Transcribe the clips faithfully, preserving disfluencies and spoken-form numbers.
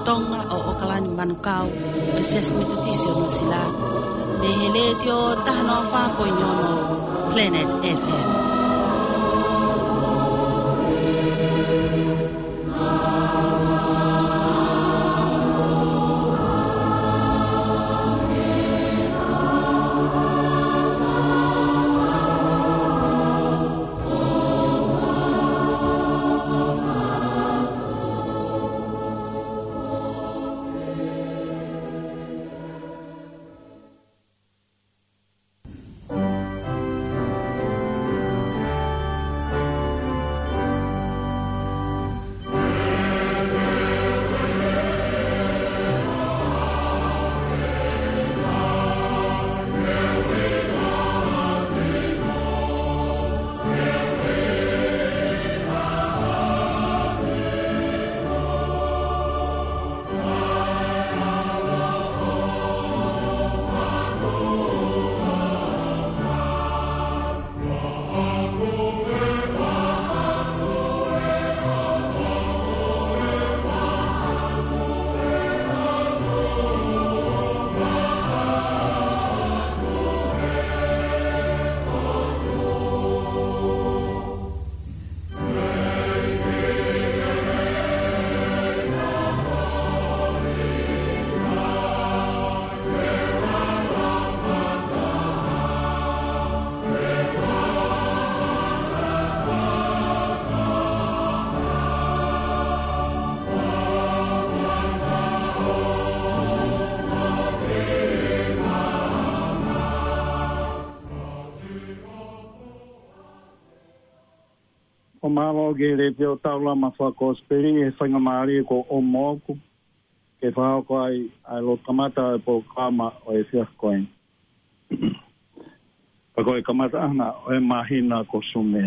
Tonga ʻo ʻOkalani Manukau, ʻo e Siasi Metotisi ʻo Nuʻusila, mei he Letiō taha noa fā poini ono Planet F M. ʻO mālō ki he Letiō Taulama Fakakosipeli he faingamālie kuo ʻomi maʻaku ke fakahoko ai ʻa e lotu kamata ʻo e polokalama ʻo e efiafi ko eni. Pea ko e kamataʻanga ʻo e māhina ko Sune.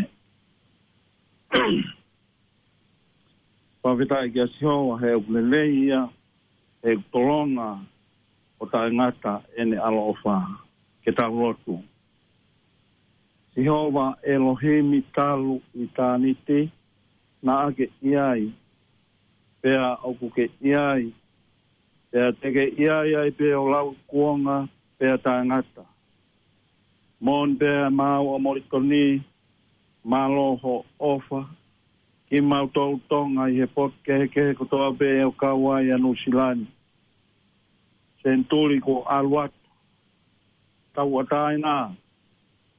Fakafetaʻi kia Sihova he ʻoku lelei ia, he ʻoku tolonga ʻo taʻengata ʻene ʻaloʻofa. Ke tau lotu. Sihova ʻElohimi, talu ʻitāniti naʻa ke ʻi ai, pea ʻoku ke ʻi ai, pea te ke ʻi ai ai pē ʻo lauikuonga pea taʻengata. Moʻoni pē ʻa e maau ʻo Molikoni, mālō hoʻo ʻofa kimautolu Tonga ʻi he potu kehekehe kotoa pē ʻo kau ai ʻa Nuʻusila ni. Senituli kuo ʻalu atu, tauʻatāina,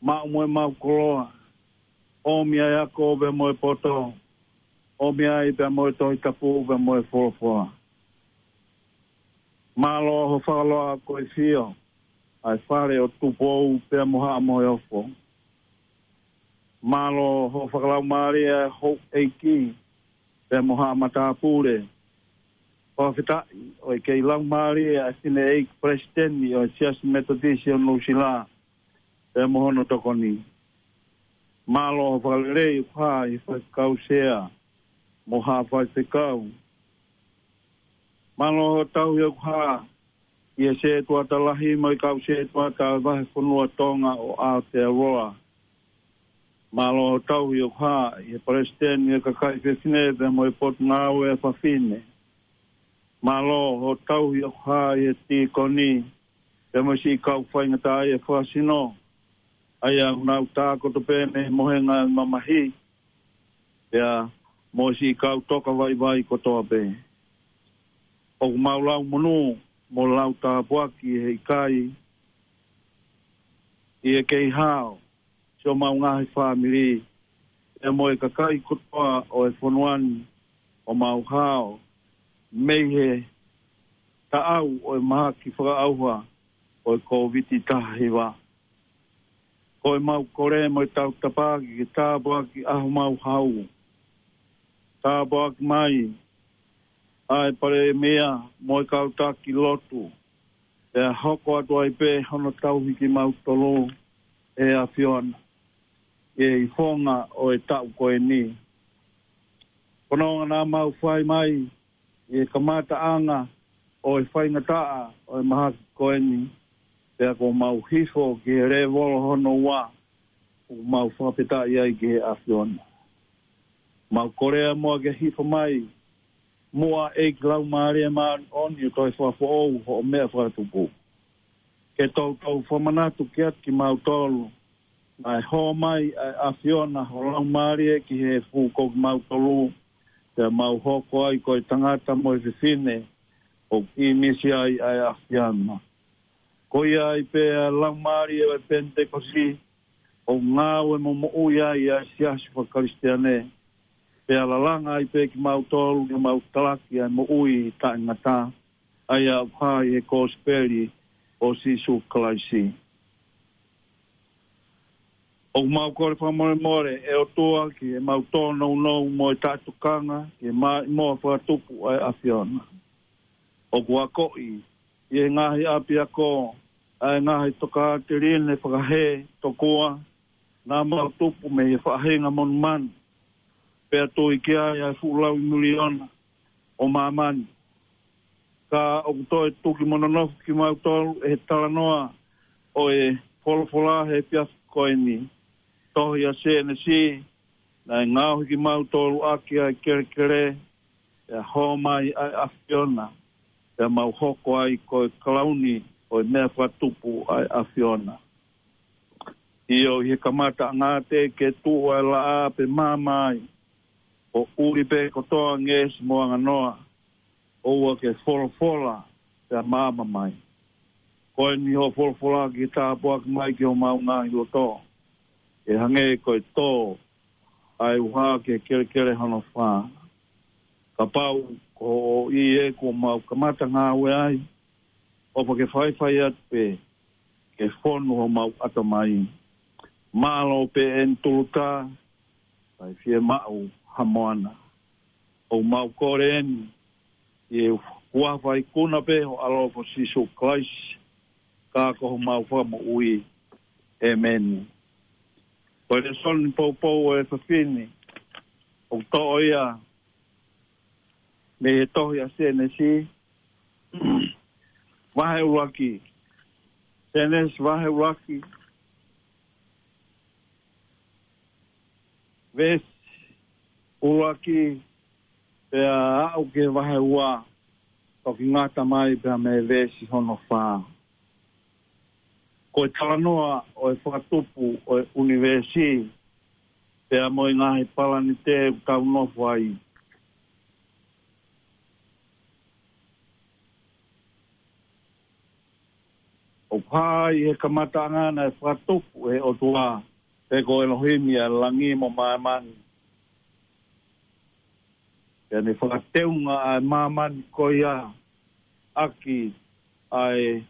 maʻu mo e maʻu koloa, ʻomi ʻa e ako pea mo e poto, ʻomi ai pea mo e Tohi Tapu pea mo e folofola. Mālō hoʻo fakaloa ko e fio ʻa e fale ʻo Tupou pea mo Haʻa Moheofo. Mālō hoʻo fakalaumālie ʻa e houʻeiki pea mo Haʻa Matāpule. Fakafetaʻi ʻoku kei laumālie ʻa e fineʻeiki Palesiteni ʻo e Siasi Metotisi ʻo Nuʻusila pea mo hono tokoni. Mālō hoʻo fakalelei ʻoku hā ʻi he faifekau sea mo Haʻa Faifekau. Mālō hoʻo tauhi ʻoku hā ʻi he setuata lahi mo e kau setuata ʻo e vahefonua Tonga ʻo Aotearoa. Mālō hoʻo tauhi ʻoku hā ʻi he Palesiteni ʻo e kakai fefine pea mo e Potungāue ʻa e Fafine. Mālō hoʻo tauhi ʻoku hā ʻi he tīkoni pea mo e siʻi kau faingataʻaʻia fakasino, ʻa ia ʻoku nau tākoto pē mei he mohenga ʻo e mamahi, pea mo e siʻi kau toka vaivai kotoa pē. ʻOku mau lau monū mo lau tāpuaki he ʻikai ʻi he kei hao siʻomau ngaahi fāmili, pea mo e kakai kotoa ʻo e fonua ni ʻoku mau hao mei he taʻau ʻo e mahaki fakaʻauha ʻo e Kōviti taha hiva. Ko ʻemau kole mo e tautapa ke tāpuakiʻi ʻa homau hau. Tāpuakiʻi mai ʻa e Palēmia mo e kau taki lotu, pea hoko atu ai pē hono tauhi kimautolu ʻe he ʻAfiona ʻi he ifonga ʻo e taʻu ko eni. Ko hono ʻuhinga naʻa mau fai mai ʻi he kamataʻanga ʻo e faingataʻa ʻo e mahaki ko eni, pea kuo mau hifo ki he lēvolo hono ua, ʻoku mau fakafetaʻi ai ki he ʻAfiona. Mau kole muʻa ke hifo mai Muʻa ʻEiki Laumālie Māʻoniʻoni ʻo toe fakafoʻou hoʻo meʻa fakatupu. Ke toutou fakamanatu kiate kimautolu, naʻe hō mai ʻa e ʻAfiona ho Laumālie ki he fuʻu ko kimautolu, pea mau hoko ai ko e tangata mo e fefine, ʻoku ʻīmisi ai ʻa e ʻAfiona. Ko ia ai pē ʻa e Laumālie ʻo e Penitekosi, ʻoku ngāue mo moʻui ai ʻa e siasi faka-Kalisitiane, pea lalanga ai pē kimautolu ke mau talaki ʻa e moʻui taʻengata, ʻa ia ʻoku hā ʻi he kosipeli ʻo Sīsū Kalaisi. ʻOku mau kole fakamolemole, ʻe ʻOtua, ki heʻemau tōnounou mo e taʻetokanga ki he maʻimoa fakatupu ʻa e ʻAfiona. ʻOku akoʻi ʻi he ngaahi ʻapiako ʻa e ngaahi tokāteline fakahē tokua naʻa mau tupu mei he faʻahinga monumanu, pea tui ki ai ʻa e fuʻu lauimiliona ʻo māmani. Ka ʻoku toe tuki mo nonofo kimautolu ʻe he talanoa ʻo e folofola he efiafi ko eni. Tohi ʻa Sēnesi, naʻe ngaohi kimautolu ʻaki ʻa e kelekele, pea hō mai ʻa e ʻAfiona, pea mau hoko ai ko e kalauni ʻo e meʻa fakatupu ʻa e ʻAfiona. ʻIo, ʻi he kamataʻanga teʻeki ke tuʻu ʻa e laʻā pe maama ai, ʻoku ʻuli pē kotoa ngeʻesi mo anganoa, ʻoua ke folofola pea maama mai. Ko eni hoʻo folofola ke tāpuaki mai ki homau ngaahi loto, ʻe hangē ko e tō ʻa e uha ki he kelekele hono fā. Kapau ko hoʻo ʻi he kuo mau kamata ngāue ai, ʻofa ke faifai atu pē ke fonu homau ʻatamai. Mālō pē eni Tuluta, ʻikai fiemaʻu ha moana. ʻOku mau kole eni ʻi he huafa ikuna pē ho ʻAlo ko Sīsū Kalaisi, ka ko homau Fakamoʻui. ʻĒmeni. Ko e lēsoni poupou ʻo e efiafi ni, ʻoku toʻo ia mei he tohi ʻa Sēnesi, vahe ʻuluaki. Sēnesi vahe ʻuluaki, veesi ʻuluaki, pea aʻu ki he vahe ua, toki ngata mai pea mei he veesi hono fā. Ko e talanoa ʻo e fakatupu ʻo e ʻunivēsi, pea mo e ngaahi palanite ʻoku tau nofo ai. ʻOku hā ʻi he kamataʻanga naʻe fakatupu ʻe he ʻOtua, pe ko ʻElohimi, ʻa e langi mo māmani. Pea ne fakateunga ʻa e māmani ko ia ʻaki ʻa e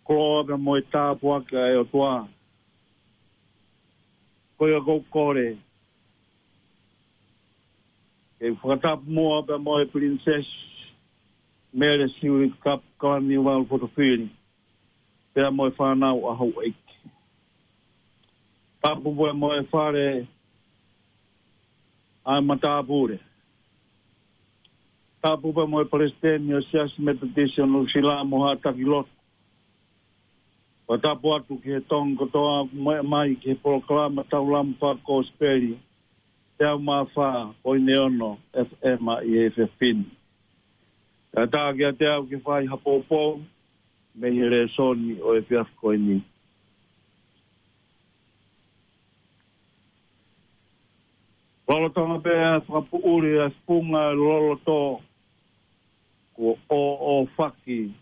koloa pea mo e tāpuaki ʻa e ʻOtua. Ko ia ʻoku ou kole ke u fakatapu muʻa pea mo e Pilinisesi Mele Siuʻilikapa Kalaniuvalu-Fotofili, pea mo e fānau ʻa houʻeiki. Tapu pea mo e fale ʻa e matāpule. Tapu pea mo e palesiteni ʻo e Siasi Metotisi ʻo Nuʻusila mo haʻa taki lotu. Fakatapu atu ki he Tonga kotoa ʻoku meʻa mai ki he polokalama Taulama Fakakosipeli, teau mā fā poini ono F M ʻi he efiafi ni. Kae ʻatā kiate au ke fai ha poupou mei he lēsoni ʻo e efiafi ko eni. Lolotonga pē ʻa e fakapoʻuli ʻa e funga loloto, kuo ʻōʻōfaki ʻe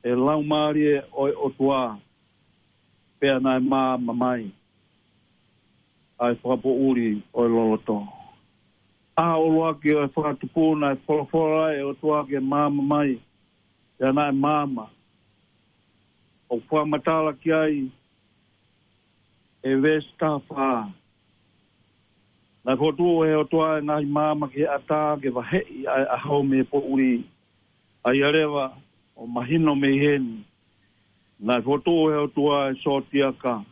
he Laumālie ʻo e ʻOtua, pea naʻe maama mai ʻa e fakapoʻuli ʻo e loloto. ʻA e ʻuluaki ʻo e fakatupu naʻe folofola ʻe he ʻOtua ke maama mai, pea naʻe maama. ʻOku fakamatala ki ai ʻe he veesi taha fā. Naʻe fokotuʻu ʻe he ʻOtua ʻa e ngaahi maama ki he ʻatā ke vaheʻi ʻa e ʻaho mei he poʻuli. ʻA ia leva ʻoku mahino mei heni, naʻe fokotuʻu ʻe he ʻOtua ʻa e sōtiaka,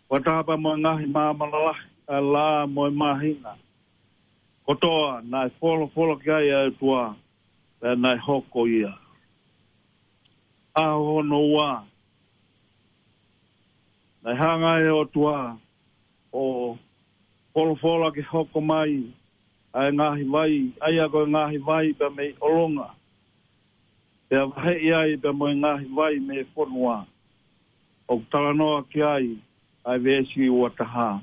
fakataha pea mo e ngaahi maama lalahi ʻa e laʻā mo e māhina. Kotoa naʻe folofola ki ai ʻa e ʻOtua, pea naʻe hoko ia. ʻAho hono ua, naʻe hanga ʻe he ʻOtua ʻo folofola ke hoko mai ʻa e ngaahi vai, ʻa ia ko e ngaahi vai pea mei ʻolunga, pea vaheʻi ai pea mo e ngaahi vai mei he fonua, ʻoku talanoa ki ai ʻa e veesi ua taha.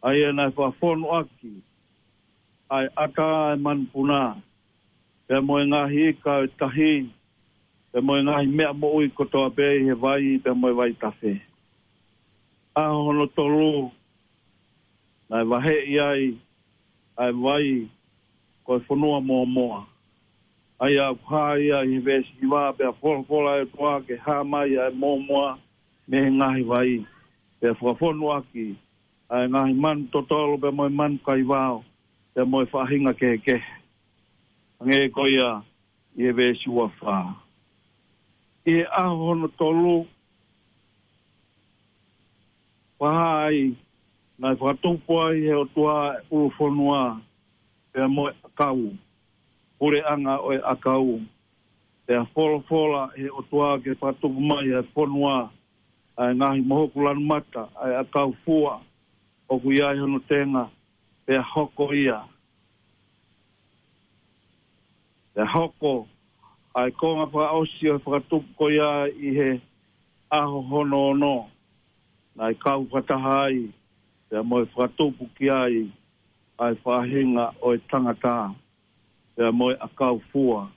ʻA ia naʻe fakafonu ʻaki ʻa e ʻata ʻa e manupuna, pea mo e ngaahi ika ʻo e tahi, pea mo e ngaahi meʻa moʻui kotoa pē ʻi he vai, pea mo e vaitafe. ʻAho hono tolu, naʻe vaheʻi ai ʻa e vai ko e fonua mōmoa. ʻA ia ʻoku hā ia ʻi he veesi hiva, pea folofola ʻa e ʻOtua ke hā mai ʻa e mōmoa mei he ngaahi vai. Pea fakafonu ʻaki ʻa e ngaahi manu totolo, pea mo e manu kaivao, pea mo e faʻahinga kehekehe. Hangē ko ia ʻi he veesi ua fā. ʻI he ʻaho hono tolu, fakahā ai, naʻe fakatupu ai ʻe he ʻOtua ʻa e ʻulu fonua, pea mo e ʻakau, puleʻanga ʻo e ʻakau. Pea folofola ʻe he ʻOtua ke fakatupu mai ʻa e fonua, ʻa e ngaahi mohuku lanumata, ʻa e ʻakau fua ʻoku ʻi ai hono tenga, pea hoko ia. Pea hoko ʻa e konga fakaʻosi ʻo e fakatupu ko ia ʻi he ʻaho hono ono, naʻe kau fakataha ai, pea mo e fakatupu ki ai, ʻa e faʻahinga ʻo e tangata, pea mo e ʻakau fua,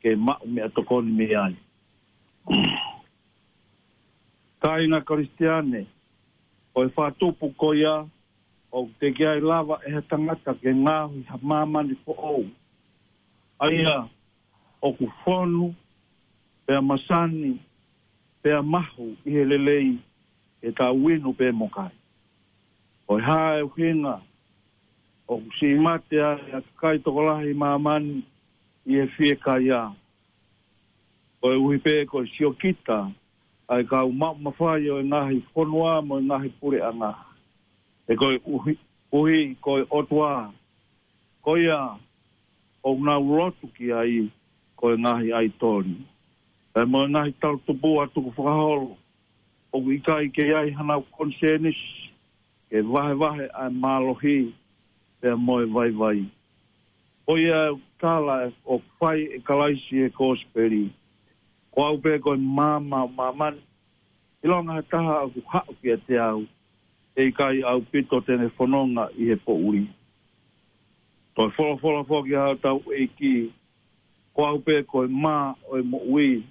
ke maʻu meʻatokoni mei ai. Kāinga Kalisitiane, ko e fakatupu ko ia, ʻoku teʻeki ai lava ʻe ha tangata ke ngaohi ha māmani foʻou. ʻA ia, ʻoku fonu, pea masani, pea mahu ʻi he lelei, ʻe tau inu pē mo kai. Ko e hā e ʻuhinga, ʻoku siʻi mate ai ʻa e kakai tokolahi ʻi māmani ʻi he fiekaia. Koeʻuhi pē ko e siokita ʻa e kau maʻu mafai ʻo e ngaahi fonua mo e ngaahi puleʻanga. He koeʻuhi, ʻuhi ko e ʻOtua, ko ia ʻoku nau lotu ki ai ko e ngaahi ʻaitoli, pea mo e ngaahi tautupu ʻa e tukufakaholo, ʻoku ʻikai ke ʻi ai hanau konisēnisi, ke vahevahe ʻa e mālohi, pea mo e vaivai. Ko ia ʻoku tala ʻoku fai ʻe Kalaisi ʻi he kosipeli. Ko au pē ko e maama ʻo māmani, ʻilonga ha taha ʻoku haʻu kiate au, ʻe ʻikai ʻaupito te ne fononga ʻi he poʻuli. Toe folofola foki ʻa hotau ʻEiki, ko au pē ko e mā ʻo e moʻui,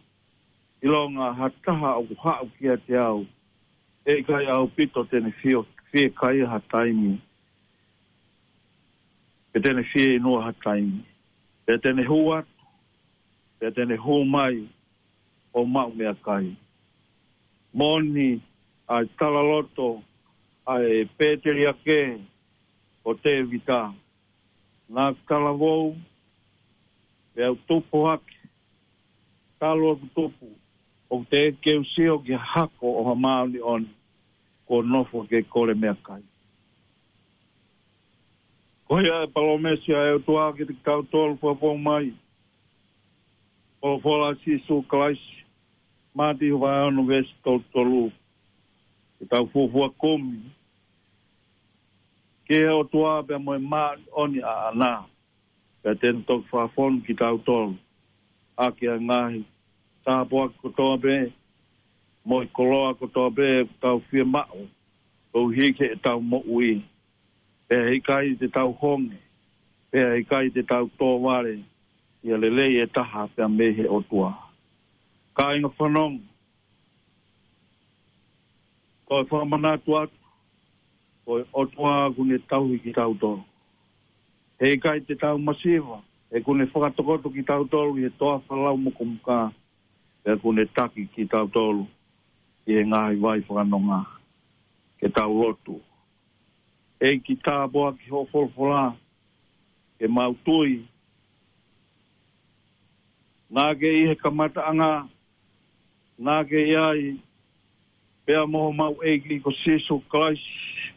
ʻilonga ha taha ʻoku haʻu kiate au, ʻe ʻikai ʻaupito te ne fio, fiekaia ha taimi, pe te ne fieinua ha taimi. Pea te ne hū atu, pea te ne hū mai ʻo maʻu meʻakai. Moʻoni ʻa e talaloto ʻa e pēteliake ko Tēvita. Naʻa ku talavou, pea u tupu hake, talu ʻeku tupu, ʻoku teʻeki ke u sio ki ha hako ʻo ha māʻoniʻoni, kuo nofo ke kole meʻakai. Ko ia e palōmesi ʻa e ʻOtua kiate kitautolu, fakafou mai. Folofola ʻa Sīsū Kalaisi, Mātiu vahe ono veesi tolu tolu. Ke tau fuofua kumi ki he ʻOtua pea mo e māʻoniʻoni ʻaʻana, pea te ne toki fakafonu kitautolu ʻaki ʻa e ngaahi tāpuaki kotoa pē, mo e koloa kotoa pē ʻoku tau fiemaʻu, koeʻuhi ke tau moʻui. Pea heʻikai te tau honge, pea heʻikai te tau tōvale, ʻi ha lelei ʻe taha pea mei he ʻOtua. Kāinga fanongo, ko e fakamanatu atu, ko e ʻOtua ʻoku ne tauhi kitautolu. Heʻikai te tau masiva, he ʻoku ne fakatokoto kitautolu ʻi he toafa lau mukumuka, pea ʻoku ne taki kitautolu ʻi he ngaahi vai fakanonga. Ke tau lotu. ʻEiki, tāpuakiʻi hoʻo folofola, ke mau tui naʻa ke ʻi he kamataʻanga, naʻa ke ʻi ai, pea mo homau ʻEiki ko Sīsū Kalaisi,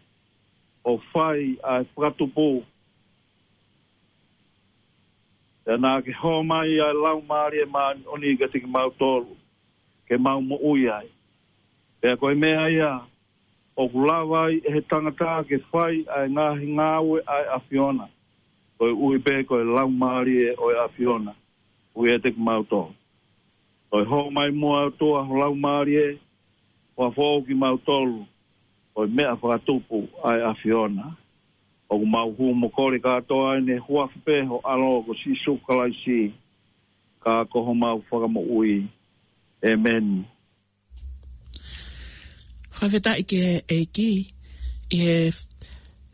ʻo fai ʻa e fakatupu. Pea naʻa ke hō mai ʻa e Laumālie Māʻoniʻoni kiate kimautolu, ke mau moʻui ai. Pea ko e meʻa ia, ʻoku lava ai ʻe he tangata ke fai ʻa e ngaahi ngāue ʻa e ʻAfiona. koeʻuhi pē ko e Laumālie ʻo e ʻAfiona ʻoku ʻiate kimautolu. Ko e hoko mai muʻa ʻOtua ho Laumālie, ʻo foaki kimautolu ko e meʻa fakatupu ʻa e ʻAfiona. ʻOku mau hū mo kole kātoa ʻi he huafa pē ho ʻAlo ko Sīsū Kalaisi, ka ko homau Fakamoʻui. ʻĒmeni. Fakafetaʻi ki he ʻEiki ʻi he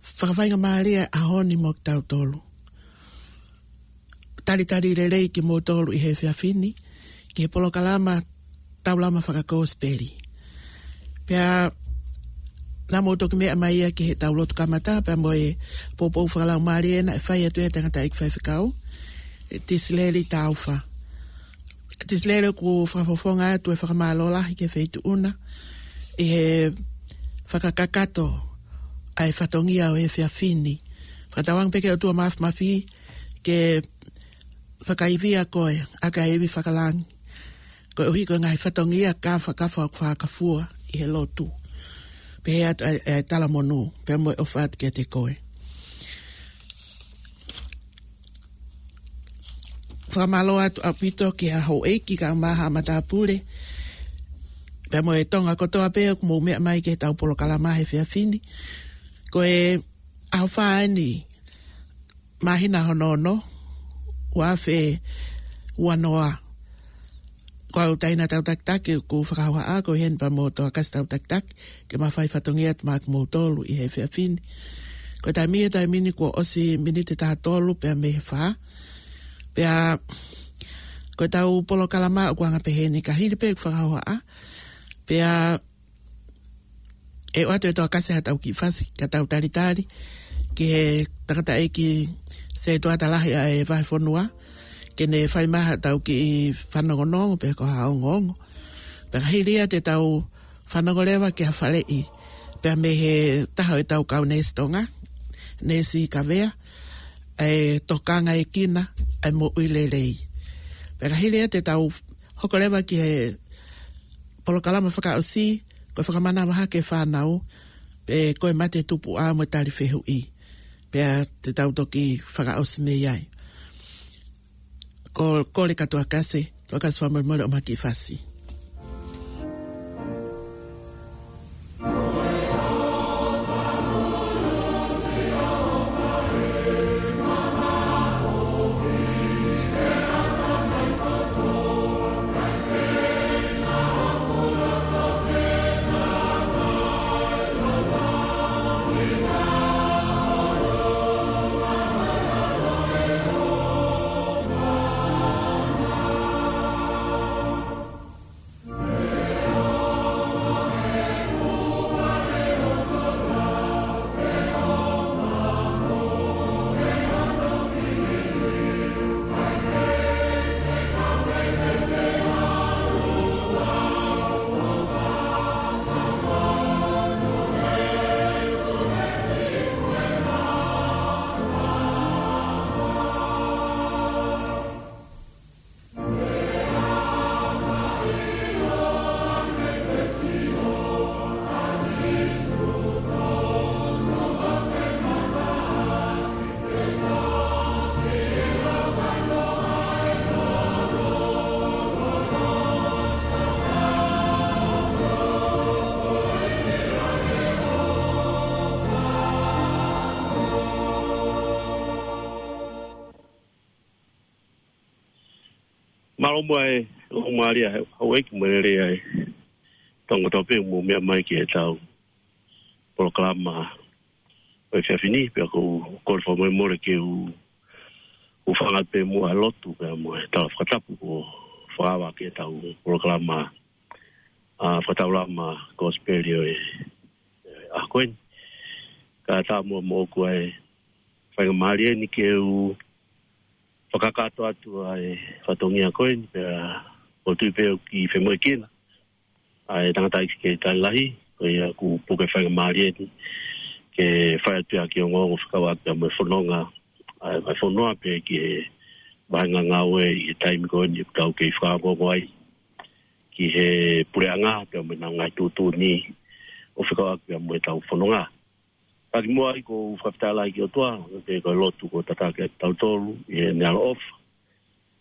fakafaingamālie ʻaho ni mo kitautolu. Talitali lelei kimoutolu ʻi he efiafi ni ki he polokalama Taulama Fakakosipeli. Pea naʻa mou toki meʻa mai ia ki heʻetau lotu kamata, pea mo e poupou fakalaumālie naʻe fai atu ʻe he tangataʻeiki faifekau, ʻe Tisileli Taufa. Tisileli, ʻoku fakafofonga atu e fakamālō lahi ki he Feituʻu na ʻi he fakakakato ʻa e fatongia ʻo e efiafi ni. Fakatauange pē ki he ʻOtua Māfimafi ke fakaivia koe ʻaki ʻa e ivi fakalangi, koeʻuhi ko e ngaahi fatongia kāfakafa ʻoku fakafua ʻi he lotu. Pehē atu ʻa e, ʻa e talamonū, pea mo e ʻofa atu kiate koe. Fakamālō atu ʻaupito ki he houʻeiki kae ʻumaʻā haʻa matāpule, pea mo e Tonga kotoa pē ʻoku mou meʻa mai ki heʻetau polokalama he efiafi ni. Ko e ʻaho fā eni, māhina hono ono, ua afe ua noa. Ko au Taina Tautakitaki ʻoku fakahauhaʻa, ko ʻeni pea mo Toakasi Tautakitaki, ke ma fai fatongia atu maʻa kimoutolu ʻi he efiafi ni. Ko e taimi, he taimi ni kuo ʻosi miniti taha tolu pea mei he fā. Pea ko ʻetau polokalama ʻoku anga pehē ni, ka hili pē ʻeku fakahauhaʻa, pea ʻe ʻoatu ʻe Toakasi haʻatau kiʻi fasi, ka tau talitali ki he tangataʻeiki Setuata Lahi ʻa e Vahefonua, ke ne fai mai haʻatau kiʻi fanongonongo pe ko ha ongoongo. Pea ka hili ia te tau fanongo leva ki ha faleʻi pea mei he taha ʻo ʻetau kau neesi Tonga, Neesi Kavea, ʻa e Tokanga ʻEkina ʻa e Moʻui Lelei. Pea ka hili ia te tau hoko leva ki he polokalama fakaʻosi, ko e fakamanava hake fānau, pe ko e mate tupuʻa mo e tali fehuʻi. Pea te tau toki fakaʻosi mei ai. Ko, kole kia Toakasi, Toakasi fakamolemole ʻo ma kiʻi fasi. Mālō muʻa e, Laumālie ʻa e, houʻeiki mo e lelei ʻa e Tonga kotoa pē ʻoku mou meʻa mai ki heʻetau polokalama ʻo e efiafi ni, pea ʻoku ou kole fakamolemole ke u, u hūfanga pē muʻa he lotu, pea mo e tala fakatapu kuo fakaava ki heʻetau polokalama, ʻa, fakataulama Kosipeli ʻo e, ʻa, ko ʻeni. Kae ʻatā muʻa moʻoku ʻa e faingamālie ni ke u fakakakato atu ʻa e fatongia ko ʻeni, pea ʻoku ou tui pē ʻoku kiʻi femoʻuekina ʻa e tangataʻeiki Setuata Lahi, ko ia kuo puke faingamālie ni ke fai atu ʻa e kiʻi ongoongo fekauʻaki mo e fononga ʻa e Vahefonua pea ki he vahenga ngāue ʻi he taimi ko ʻeni ʻoku tau kei fakaongoongo ai ki he puleʻanga pea mo ʻenau ngaahi tuʻutuʻuni ʻo fekauʻaki mo ʻetau fononga. Ka kimuʻa ai ʻoku ou fakafetaʻi lahi ki he ʻOtua, pea ko e lotu kuo tataki ʻe kitautolu ʻi heʻene ʻaloʻofa,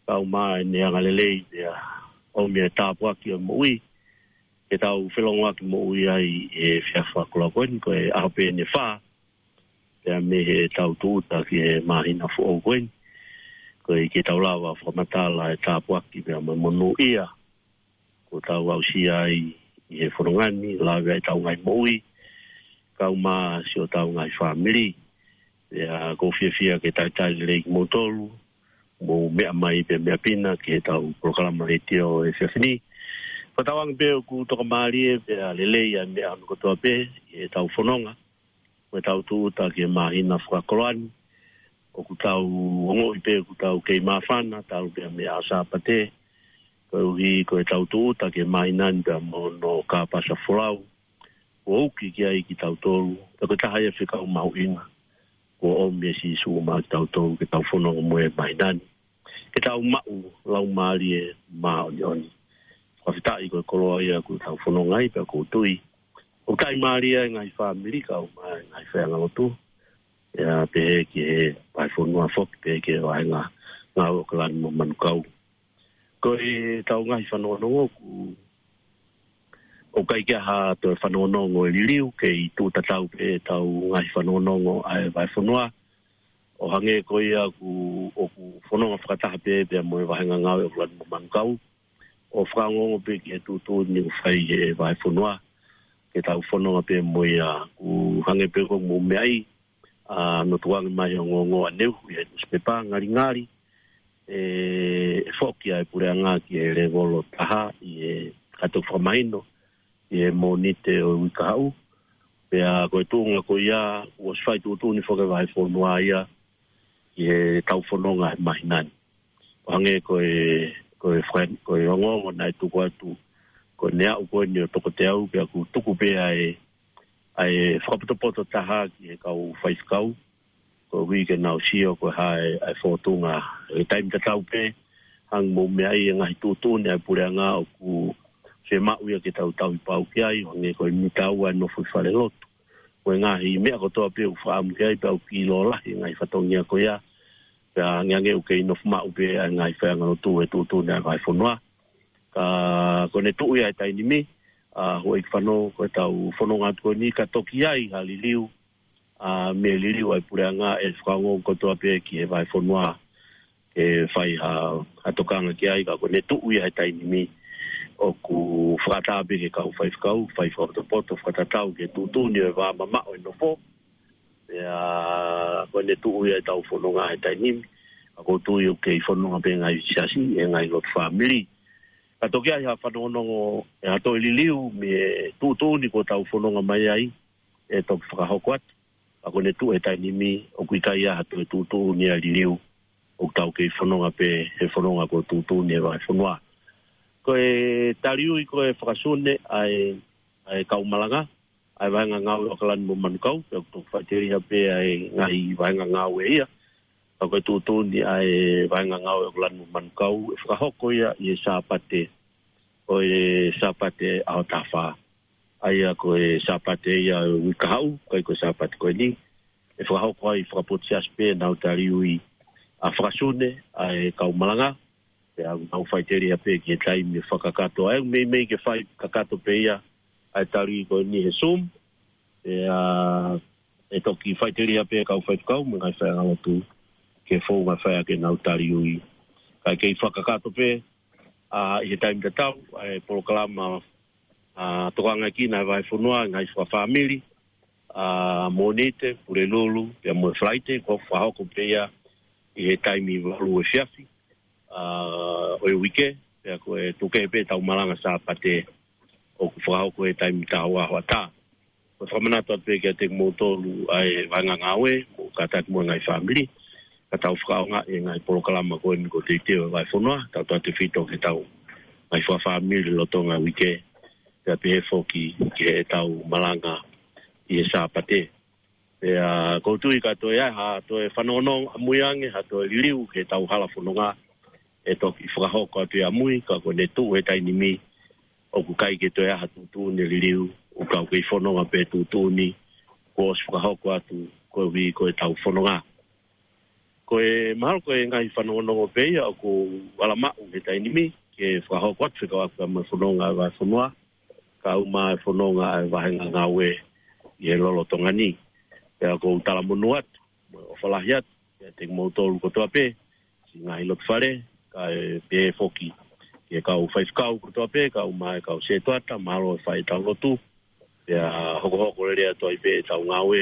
kae ʻumaʻā ʻene angalelei, pea ʻomi e tāpuaki ʻo e moʻui ke tau felongoaki moʻui ai he efiafi fakakoloa ko eni, ko e ʻaho pē ʻeni ʻe fā pea mei heʻetau tūʻuta ki he māhina foʻou ko eni. Koeʻuhi ke tau lava fakamatala e tāpuaki pea mo e monūʻia kuo tau aʻusia ai ʻi he fononga ni, lave ai ʻetau ngaahi moʻui, kae ʻumaʻā siʻotau ngaahi fāmili. Pea ʻoku ou fiefia ke talitali lelei kimoutolu, mou meʻa mai pea meʻa pina ki heʻetau polokalama letiō he efiafi ni. Fakatauange pē ʻoku tokamālie pea lelei ʻa e meʻa hono kotoa pē ʻi heʻetau fononga, mo ʻetau tūʻuta ki he māhina fakakoloa ni. ʻOku tau ongoʻi pē ʻoku tau kei māfana, talu pē mei he ʻaho Sāpate, koeʻuhi ko ʻetau tūʻuta ki he māhina ni pea mo hono kāpasa folau kuo uki ki ai kitautolu, pea ko e taha ia e fekau mahuʻinga kuo ʻomi ʻe Sīsū maʻa kitautolu ke tau fononga mo ia he māhina ni, ke tau maʻu Laumālie Māʻoniʻoni. Fakafetaʻi ko e koloa ia kuo tau fononga ai, pea ʻoku ou tui ʻoku taʻimālie e ngaahi fāmili kae ʻumaʻā e ngaahi faiʻanga lotu, ʻa ia pehē ki he vahefonua foki, pehē ki he vāhenga ngāue ʻAokalani mo Manukau. Ko ʻetau ngaahi fanongonongo ʻoku, ʻoku ʻikai ke ʻi ai ha toe fanongonongo ʻe liliu, kei tuʻu tatau pē ʻetau ngaahi fanongonongo ʻa e vahefonua, ʻo hangē ko ia ʻoku, ʻoku fononga fakataha pē pea mo e vāhenga ngāue ʻAokalani mo Manukau, ʻo fakaongoongo pē ki he tuʻutuʻuni ʻoku fai ʻe he vahefonua ke tau fononga pē mo ia. ʻOku hangē pē ko hoʻomou meaʻi, ʻa, naʻe tukuange mai e ongoongo ʻaneuhu ʻi he nusipepa, ngalingali ʻe, ʻe foki ʻa e puleʻanga ki he lēvolo taha ʻi he, ka toki fakamahino ʻi he Mōnite ʻo e uike kahaʻu. Pea ko e tuʻunga ko ia, kuo ʻosi fai tuʻutuʻuni foki e vahefonua ia ki heʻetau fononga he māhina ni. ʻO hangē ko e, ko e faka-, ko e ongoongo naʻe tuku atu, ko ʻene aʻu ko eni ʻo toko teau, pea ʻoku tuku pē ʻa e, ʻa e fakapotopoto taha ki he kau faifekau, koeʻuhi ke nau sio ko e hā e, ʻa e fōtunga he taimi tatau pē, hangē ko hoʻomou meaʻi, e ngaahi tuʻutuʻuni ʻa e puleʻanga ʻoku fiemaʻu ia ke tau tauhi pau ki ai, ʻo hangē ko e mita ua e nofo ʻi falelotu, mo e ngaahi meʻa kotoa pē ʻoku fakaʻamu ki ai, pea ʻoku kiʻi lōlahi e ngaahi fatongia ko ia, pea angeange ʻoku kei nofo maʻu pē ʻa e ngaahi faiʻanga lotu he tuʻutuʻuni ʻa e vahefonua. Ka ko ʻene tuʻu ia he taimi ni, ʻa, houʻeiki fānau, ko ʻetau fononga atu ko eni ka toki ʻi ai ha liliu, ʻa, mei he liliu ʻa e puleʻanga, ʻe fakaongoongo kotoa pē ki he vahefonua ke fai ha, ha tokanga ki ai. Ka ko ʻene tuʻu ia he taimi ni, ʻoku fakaʻatā pē ki he kau faifekau, fai fakapotopoto, fakatatau ki he tuʻutuʻuni ʻo e vā mamaʻo e nofo. Pea ko ʻene tuʻu ia ʻetau fononga he taimi ni, ka ʻoku ou tui ʻoku kei fononga pē ngaahi siasi, e ngaahi lotu fāmili. Ka toki ʻi ai ha fanongonongo ʻe ha toe liliu mei he tuʻutuʻuni kuo tau fononga mai ai, ʻe toki fakahoko atu. Ka ko ʻene tuʻu he taimi ni, ʻoku ʻikai ʻi ai ha toe tuʻutuʻuni ʻa e liliu ʻoku tau kei fononga pē he fononga kuo tuʻutuʻuni ʻe he vahefonua. Ko e taliui ko e fakasune ʻa e, ʻa e kau malanga ʻa e vāhenga ngāue ʻAokalani mo Manukau, pea ʻoku toki faʻiteliha pē ʻa e ngaahi vāhenga ngāue ia. Ka ko e tuʻutuʻuni ʻa e vāhenga ngāue ʻAokalani mo Manukau, ʻe fakahoko ia ʻi he Sāpate, ʻo e Sāpate ʻaho taha fā. ʻA ia ko e Sāpate ia ʻo e uike kahaʻu, ʻikai ko e Sāpate ko eni. ʻE fakahoko ai fakapotu siasi pē ʻenau taliui ʻa e fakasune ʻa e kau malanga. Pea ʻoku nau faʻiteliha pē ki he taimi fakakakato. ʻA ia ʻoku meimei ke fai kakato pē ia ʻa e taliui ko eni he Zoom. Pea ʻe toki faʻiteliha pē kau faifekau mo e ngaahi faiʻanga lotu ke founga fai ʻaki ʻenau taliui. Kae kei fakakakato pē, ʻa, ʻi he taimi tatau, ʻa e polokalama, ʻa, tokangaʻi ʻe he vahefonua, ngaahi fakafāmili, ʻa, Mōnite, Pulelulu, pea mo e Falaite, ʻoku fakahoko pē ia ʻi he taimi valu efiafi, ʻa, ʻo e uike, pea ko e tuku kehe pē ʻetau malanga Sāpate, ʻoku fakahoko he taimi taha ua hoʻatā. Ko e fakamanatu atu pē kiate kimoutolu ʻa e vāhenga ngāue, mo kātaki mo e ngaahi fāmili, ka tau fakaʻaongaʻi e ngaahi polokalama ko eni kuo teuteu ʻe he vahefonua, tautautefito ki heʻetau ngaahi fakafāmili lolotonga e uike, pea pehē foki ki heʻetau malanga ʻi he Sāpate. Pea ʻoku ou tui ka toe ʻi ai ha toe fanongonongo ʻamui ange, ha toe liliu ki heʻetau hala fononga, ʻe toki fakahoko atu ia ʻamui, ka ko ʻene tuʻu he taimi ni, ʻoku ʻikai ke toe ʻi ai ha tuʻutuʻuni ʻe liliu, ʻoku tau kei fononga pē he tuʻutuʻuni kuo ʻosi fakahoko atu koeʻuhi ko ʻetau fononga. Ko e mahalo ko e ngaahi fanongonongo pē ia ʻoku ala maʻu he taimi ni ke fakahoko atu fekauʻaki mo e fononga ʻa e vahefonua, kae ʻumaʻā e fononga ʻa e vāhenga ngāue ʻi he lolotonga ni. Pea ʻoku ou talamonū atu mo e ʻofa lahi atu kiate kimoutolu kotoa pē, siʻi ngaahi lotu fale, kae pehē foki ki he kau faifekau kotoa pē, kae ʻumaʻā e kau sētuata, mahalo ʻe fai ʻetau lotu, pea hokohoko lelei atu ai pē ʻetau ngāue,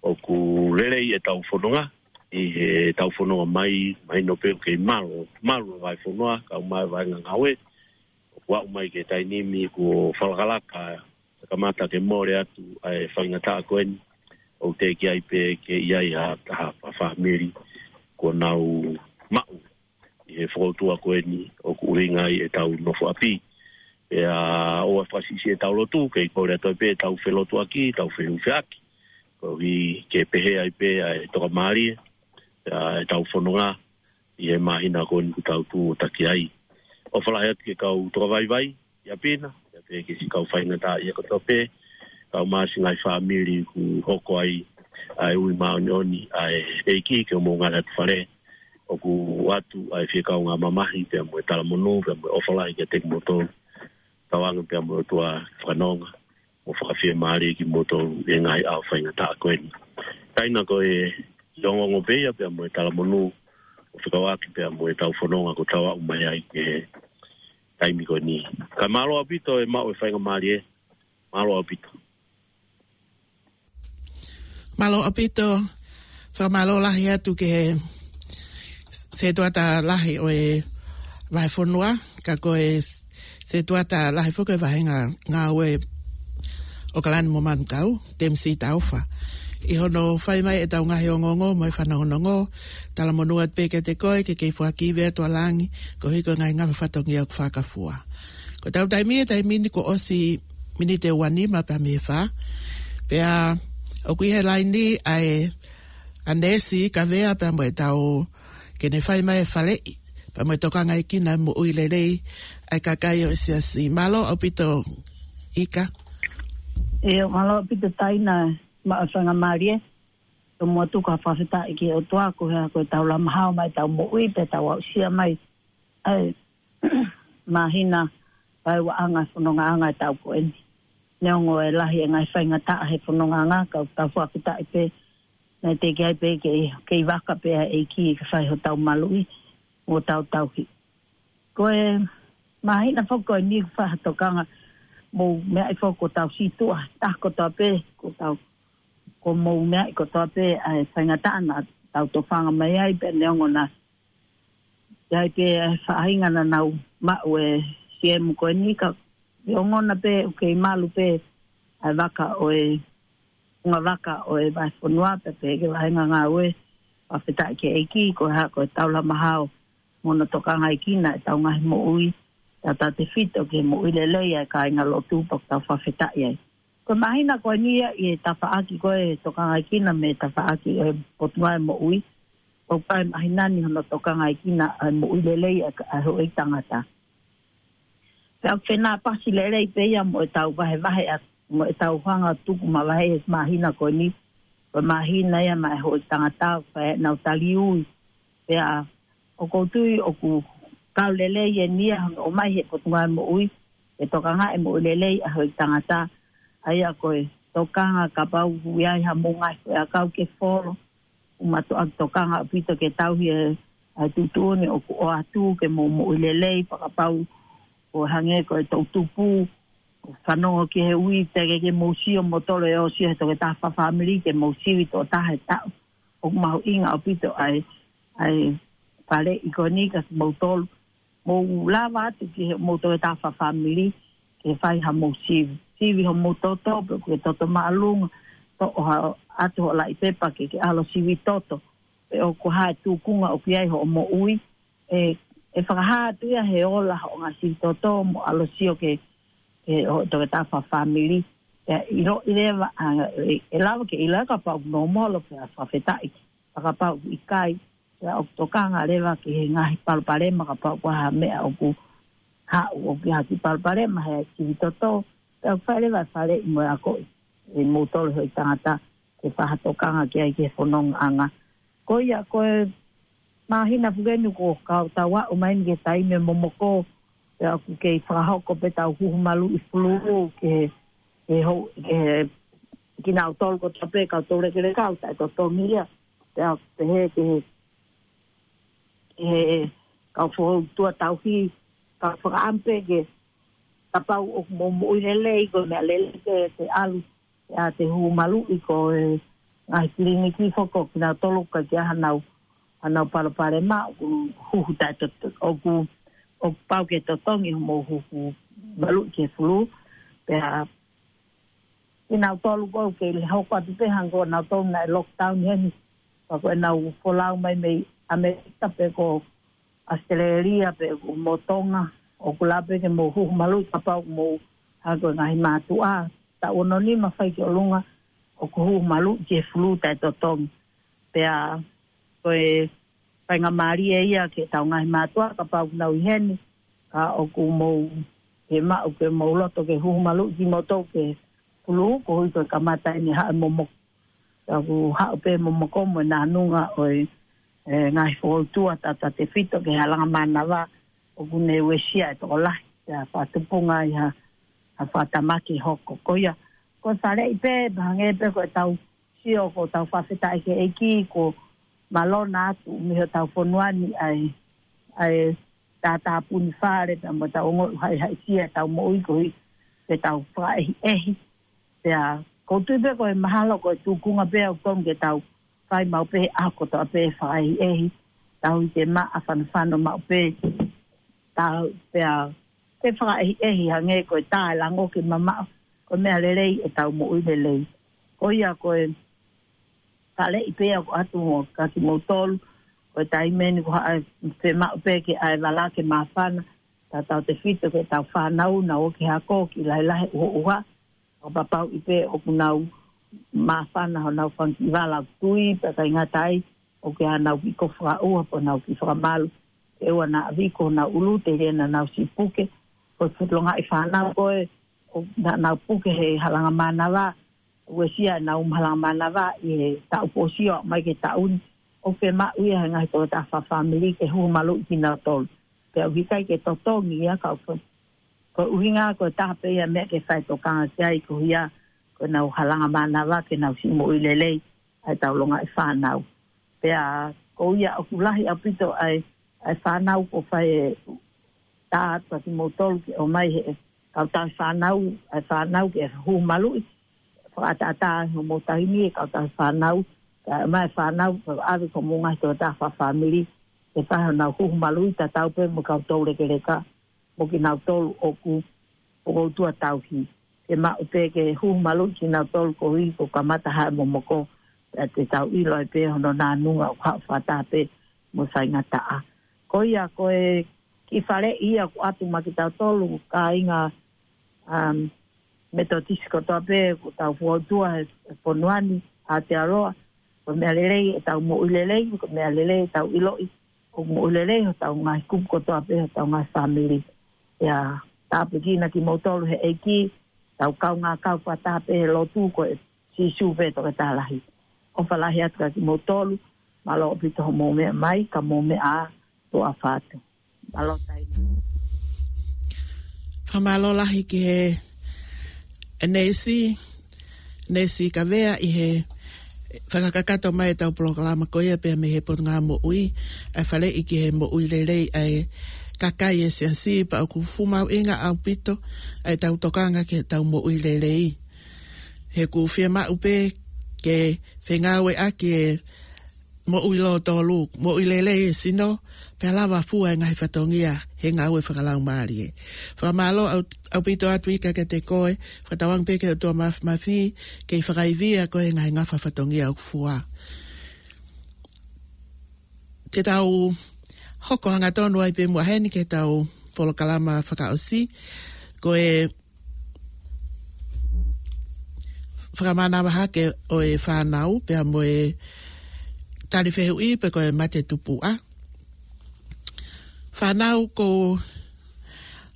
ʻoku lelei ʻetau fononga ʻi heʻetau fononga mai, mahino pē ʻoku kei malu, malu e vahefonua, kae ʻumaʻā e vāhenga ngāue, ʻoku aʻu mai ki he taimi ni kuo fakalakalaka, kamata ke mole atu ʻa e faingataʻa ko eni, ʻoku teʻeki ai pē ke ʻi ai ha taha fāmili kuo nau maʻu ʻi he fokoutua ko eni ʻoku ʻuhinga ai ʻetau nofo ʻapi. Pea ʻoua fakasiʻisiʻi ʻetau lotu, kei kole atu ai pē ʻetau felotuaʻaki, ʻetau fehufeʻaki, koeʻuhi ke pehē ai pē ʻa e tokamālie ʻa ʻetau fononga ʻi he māhina ko eni ʻoku tau tuʻo taki ai. ʻOfa lahi atu ki he kau tokavaivai ʻi ʻapi na, pea pehē ki siʻi kau faingataʻaʻia kotoa pē, kae ʻumaʻā siʻi ngaahi fāmili ʻoku hoko ai ʻa e ui māʻoniʻoni ʻa e ʻEiki ki hoʻomou ngaahi lotu fale. ʻOku ʻoatu ʻa e fie kaungā mamahi pea mo e talamonū pea mo e ʻofa lahi kiate kimoutolu. Tauange pea mo e ʻOtua fakanonga mo fakafiemālie kimoutolu ʻi he ngaahi ʻaho faingataʻa ko eni. Taina ko e ongoongo pē ia pea mo e talamonū ʻo fekauʻaki pea mo ʻetau fononga kuo tau aʻu mai ai ki he taimi ko eni. Kae mālō ʻaupito e maʻu e faingamālie. Mālō ʻaupito. Mālō ʻaupito, fakamālō lahi atu ki he sētuata lahi ʻo e vahefonua, ka ko e sētuata lahi foki ʻo e vāhenga ngāue ʻo ʻAokalani mo Manukau, Temisi Taufa. ʻI hono fai mai ʻetau ngaahi ongoongo mo e fanongonongo, talamonū atu pē kiate koe ke kei foaki vea tualangi, koeʻuhi ko e ngaahi ngafa fatongia ʻoku fakafua. Ko ʻetau taimi, e taimi ni kuo ʻosi miniti ʻe uanima pea mei he fā. Pea ʻoku ʻi he laini ʻa e ʻAnesi Kavea pea mo ʻetau ke ne fai mai e faleʻi pea mo e tokangaʻi kina e moʻui lelei ʻa e kakai ʻo e siasi. Mālō ʻaupito Ika. ʻIo, mālō ʻaupito Taina, maʻu e faingamālie. Tomuʻa tuku ha fakafetaʻi ki he ʻOtua ko e hā ko ʻetau lama hao mai ʻetau moʻui pea tau aʻusia mai ʻa e māhina ʻa e vaʻanga fonongaʻanga ʻetau ko eni. Neongo e lahi e ngaahi faingataʻa he fonongaʻanga, ka ʻoku tau fakafetaʻi pē naʻe teʻeki ai pē ke, kei vaka pē ʻa e ʻEiki ke fai hotau maluʻi mo hotau tauhi. Ko e māhina foki ko eni ʻoku fai ha tokanga, mou meaʻi foki ko ʻetau sītuʻa, tā kotoa pē, ko ʻetau, ko mou meaʻi kotoa pē ʻa e faingataʻa naʻa tau tofanga mai ai, pea neongo naʻe ʻi ai pē ʻa e faʻahinga naʻa nau maʻu e siemu ko eni ka ʻi ongona pē ʻoku kei malu pē ʻa e vaka ʻo e, ngaahi vaka ʻo e vahefonua pea pehē ki he vāhenga ngāue, fakafetaʻi ki he ʻEiki, ko e hā ko ʻetau lama hao mo hono tokangaʻi kina ʻetau ngaahi moʻui, tautautefito ki he moʻui lelei ʻa e kāinga lotu pea ʻoku tau fakafetaʻi ai. Ko e māhina ko eni ia ʻi he tafaʻaki ko e tokangaʻi kina mei he tafaʻaki ʻo e Potungāue Moʻui, ʻoku ʻi ai e māhina ni hono tokangaʻi kina ʻa e moʻui lelei ʻa e, ʻa e houʻeiki tangata. Pea ʻoku fenāpasi lelei pē ia mo ʻetau vahevahe atu, mo ʻetau hanga ʻo tuku mavahe he māhina ko eni, ko e māhina ia maʻa e houʻeiki tangata ʻoku fai ai ʻenau tali ui. Pea ʻoku ou tui ʻoku kau lelei eni ia hono ʻomai he Potungāue Moʻui, ke tokangaʻi e moʻui lelei ʻa e houʻeiki tangata, ʻa ia ko e tokanga kapau ʻoku ʻi ai hamou ngaahi foʻiʻakau ke folo, ʻoku mātuʻaki tokanga ʻaupito ke tauhi e, ʻa e tuʻutuʻuni ʻoku ʻoatu ke mou moʻui lelei, fakapapau ʻoku hangē ko e toʻutupu, ʻoku fanongo ki he ui, teʻeki ke mou sio moutolu ʻo sio he toketā fakafāmili ke mou sivi tokotaha he taʻu. ʻOku mahuʻinga ʻaupito ʻa e, ʻa e faleʻi ko eni kia kimoutolu. Mou lava atu ki he mou toketā fakafāmili ke fai hamou sivi. Sivi homou toto, pe ko e toto māʻolunga, toʻo ha, ʻatu hoʻo laʻi pepa ke ke ʻalu ʻo sivi toto. Pe ʻoku hā e tūkunga ʻoku ʻi ai hoʻo moʻui, ʻe, ʻe fakahā atu ia he ola hoʻo ngaahi sivi toto mo ʻalu ʻo sio ki he, ki he hoʻo toketā fakafāmili. ʻE ʻiloʻi leva, ʻa, ʻe, ʻe lava ke ʻilo kapau ʻoku nōmolo pea fakafetaʻi, fakapapau ʻoku ʻikai, pea ʻoku tokanga leva ki he ngaahi palopalema kapau ʻoku ʻi ai ha meʻa ʻoku haʻu ʻoku ʻi ai ha kiʻi palopalema he sivi toto, pea ʻoku fai leva e faleʻi mo e akoʻi. ʻe moutolu hoʻi tangata ke fakatokanga ki ai ki he fonongaʻanga. Ko ia, ko e māhina pē eni kuo kau tau aʻu mai eni ki he taimi momoko, pea ʻoku kei fakahoko pē ʻetau huhu maluʻi fulū ki he, ki he hou-, ki he, kinautolu kotoa pē kau toulekeleka ʻoku taʻetotongi ia. Pea ʻoku pehē ki he, ki he kau fokotuʻutuʻu tauhi, kau fakaʻamu pē ke kapau ʻoku mou moʻui lelei, ko e meʻa lelei ke te ʻalu ʻo te huhu maluʻi. Ko e ngaahi kiliniki foki ʻoku kinautolu ʻoku ʻikai ke ʻi ai hanau, hanau palopalema, ʻoku huhu taʻetotongi, ʻoku, ʻoku pau ke totongi hoʻomou huhu maluʻi ki he fulū. Pea kinautolu ko ē ʻoku kei hoko atu pē hangē ko nautolu naʻe lockdown heni. Pea ko ʻenau folau mai mei ʻAmelika pe ko ʻAositelēlia pe ko Tonga, ʻoku lava pē ke mou huhu maluʻi kapau ʻoku mou hangē ko e ngaahi mātuʻa. Taʻu ono nima fai ki ʻolunga ʻoku huhu maluʻi ki he fulū taʻetotongi. Pea ko e faingamālie ia ki heʻetau ngaahi mātuʻa kapau ʻoku nau ʻi heni, ka ʻoku mou, ke maʻu ke mou loto ke huhu maluʻi kimoutolu ki he fulū, koeʻuhi ko e kamata eni haʻu e momoko. Pea ʻoku haʻu pē momoko mo e nānunga ʻo e, e ngaahi fokotuʻutuʻu taʻetefito ki he halanga mānava ʻoku ne uesia e tokolahi. Pea fakatupunga ai ha, ha fakatamaki hoko. Ko ia, ko e faleʻi pē, pea hangē pē ko ʻetau sio ko ʻetau fakafetaʻi ki he ʻEiki, kuo mālō atu mei hotau fonua ni ʻa e, ʻa e tātāpuni fale, pea mo ʻetau ongoʻi haʻihaʻisia ʻetau moʻui koeʻuhi ke tau fakaʻehiʻehi. Pea ʻoku ou tui pē ko e mahalo ko e tūkunga pē ʻoku totonu ke tau fai maʻu pē he ʻaho kotoa pē fakaʻehiʻehi, tauhi ke maʻa, fanofano maʻu pē, tau pea ke fakaʻehiʻehi hangē ko e tā e lango ke mamaʻo, ko e meʻa lelei ʻetau moʻui lelei. Ko ia ko e faleʻi pē ʻoku ʻoatu kia kimoutolu, ko e taimi eni ko haʻa fiemaʻu pē ke ʻai vala ke māfana, taʻetefito ki heʻetau fānau, nau ō ki he ako, kiʻi lahilahi ʻuhoʻuha, ʻo kapau ʻi pē ʻoku nau māfana honau fanga kiʻi vala ʻoku tui, pea ʻikai ngata ai, ʻoku ʻi ai hanau kiʻi kofu fakaʻuha pe nau kiʻi fakamalu, ke ʻoua naʻa viko honau ʻulu, telia naʻa nau siʻi puke, ko e fuʻu longaʻi fānau ko ē, ʻo naʻa nau puke he halanga mānava, uesia ʻenau halanga mānava ʻi he taʻu kuo ʻosi ʻo aʻu mai ki he taʻu ni, ʻoku fiemaʻu ia he ngaahi tokotaha fakafāmili ke huhu maluʻi kinautolu. Pea ʻoku ʻikai ke totongi ia ka ʻoku, ko e ʻuhinga ko e taha pē ia meʻa ke fai tokanga ki ai koeʻuhi ko ʻenau halanga mānava ke nau siʻi moʻui lelei ʻa ʻetau longaʻi fānau. Pea ko ia ʻoku lahi ʻaupito ʻa e, ʻa e fānau kuo fai e tā atu kia kimoutolu ke ʻomai he kau tauhi fānau, ʻa e fānau ke huhu maluʻi, fakaʻataʻatā ai hoʻomou taimi e kau tauhi fānau, kae ʻomai e fānau, kae ʻave ki homou ngaahi tokotaha fakafāmili, ke fai honau huhu maluʻi tatau pē mo e kau toulekeleka, mo kinautolu ʻoku fokotuʻutuʻu tauhi. Ke maʻu pē ke huhu maluʻi kinautolu koeʻuhi kuo kamata haʻu e momoko, pea te tau ʻilo ai pē hono nānunga ʻoku haʻu fakataha pē mo e faingataʻa. Ko ia ko e kiʻi faleʻi ia ʻoku ʻoatu maʻa kitautolu kāinga, um, Metotisi kotoa pē ʻoku tau fokotuʻutuʻu he fonua ni, Aotearoa, ko e meʻa lelei ʻetau moʻui lelei, ko e meʻa lelei ʻetau ʻiloʻi ʻoku moʻui lelei hotau ngaahi kupu kotoa pē, hotau ngaahi fāmili. Pea tāpuekina kimoutolu he ʻEiki, tau kaungā kau fakataha pē he lotu ko e Sīsū pē Toketā Lahi. ʻOfa lahi atu kia kimoutolu, mālō ʻaupito hoʻomou meʻa mai, ka mou meʻa ā, tuʻa ʻofa atu. Mālō taimi. Fakamālō lahi ki he neisi, neisi Kavea ʻi he fakakakato mai ʻetau polokalama ko ia pea mei he Potungāue Moʻui, ʻa e faleʻi ki he moʻui lelei ʻa e kakai e siasi, pea ʻoku fuʻu mahuʻinga ʻaupito ʻa ʻetau tokanga ki heʻetau moʻui lelei. He ʻoku fiemaʻu pē ke fengāueʻaki e moʻui lōtolu, moʻui lelei e sino, pea lava fua e ngaahi fatongia he ngāue fakalaumālie. Fakamālō ʻau-, ʻaupito atu Ika kiate koe, fakatauange pē ki he ʻOtua Māfimafi, kei fakaivia koe he ngaahi ngafa fatongia ʻoku fua. Ke tau hoko hangatonu ai pē muʻa heni ki heʻetau polokalama fakaʻosi, ko e fakamānava hake ʻo e fānau, pea mo e tali fehuʻi pe ko e mate tupuʻa. Fānau, ʻoku ou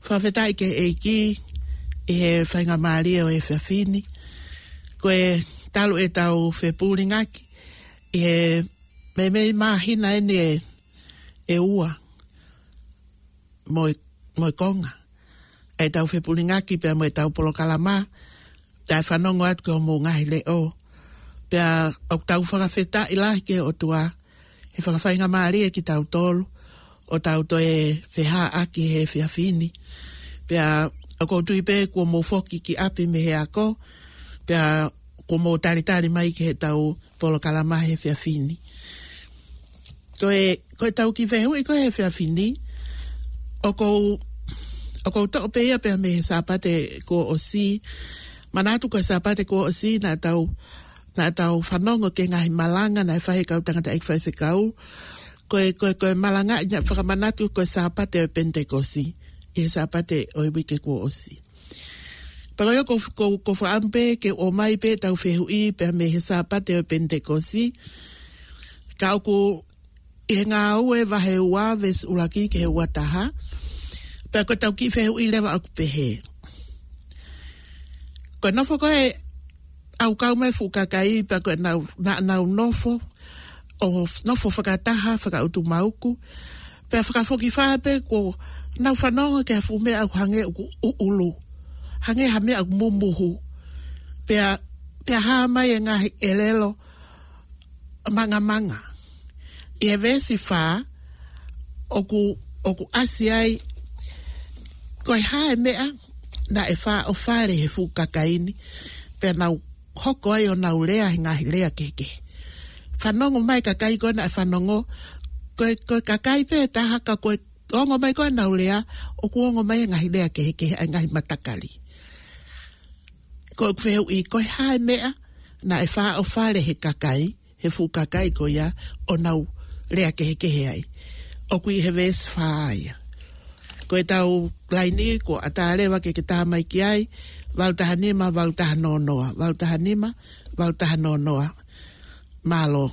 fakafetaʻi ki he ʻEiki ʻi he faingamālie ʻo e efiafi ni. Ko e talu ʻetau fepulingaki ʻi he meimei māhina ʻeni ʻe, ʻe ua mo e, mo e konga ʻetau fepulingaki pea mo ʻetau polokalama, taʻe fanongo atu ki hoʻomou ngaahi leʻo. Pea ʻoku tau fakafetaʻi lahi ki he ʻOtua he fakafaingamālie kitautolu ʻo tau toe fehāʻaki he efiafi ni. Pea ʻoku ou tui pē kuo mou foki ki ʻapi mei he ako, pea kuo mou talitali mai ki heʻetau polokalama he efiafi ni. Ko e, ko ʻetau kiʻi fehuʻi ko ē he efiafi ni, ʻoku ou, ʻoku ou toʻo pē ia pea mei he Sāpate kuo ʻosi. Manatu ko e Sāpate kuo ʻosi naʻa tau, naʻa tau fanongo ki he ngaahi malanga naʻe fai ʻe he kau tangataʻeiki faifekau. Ko e, ko e, ko e malanga naʻe fakamanatu ko e Sāpate ʻo e Penitekosi, ʻi he Sāpate ʻo e uike kuo ʻosi. Pea ko ia ʻoku, ʻoku, ʻoku ou fakaʻamu pē ke ʻomai pē ʻetau fehuʻi pea mei he Sāpate ʻo e Penitekosi. Ka ʻoku ʻi he Ngāue vahe ua veesi ʻuluaki ki he ua taha. Pea ko ʻetau kiʻi fehuʻi leva ʻoku pehē. Ko e nofo ko ē ʻa e kau mei he fuʻu kakai, pea ko ʻenau, naʻa nau nofo, ʻo nofo fakataha, fakaʻutumauku. Pea fakafokifā pē kuo nau fanongo ki ha fuʻu meʻa ʻoku hangē ʻoku ʻuʻulu. Hangē ha meʻa ʻoku mumuhu. Pea, pea hā mai e ngaahi ʻelelo mangamanga. ʻI he veesi fā, ʻoku, ʻoku ʻasi ai, ko e hā e meʻa naʻe fāʻofale he fuʻu kakai ni, pea nau hoko ai ʻo nau lea he ngaahi lea kehekehe. Fanongo mai kakai ko ē naʻe fanongo, ko e, ko e kakai pē taha ka ko e ongo mai ko ē nau lea, ʻoku ongo mai e ngaahi lea kehekehe ʻa e ngaahi matakali. Ko ʻeku fehuʻi, ko e hā e meʻa naʻe fāʻofale he kakai, he fuʻu kakai ko ia ʻo nau lea kehekehe ai. ʻOku ʻi he veesi fā ia. Ko ʻetau laini kuo ʻatā leva ke ke tā mai ki ai, valu taha nima, valu taha noa noa, valu taha nima, valu taha noa noa. Mālō.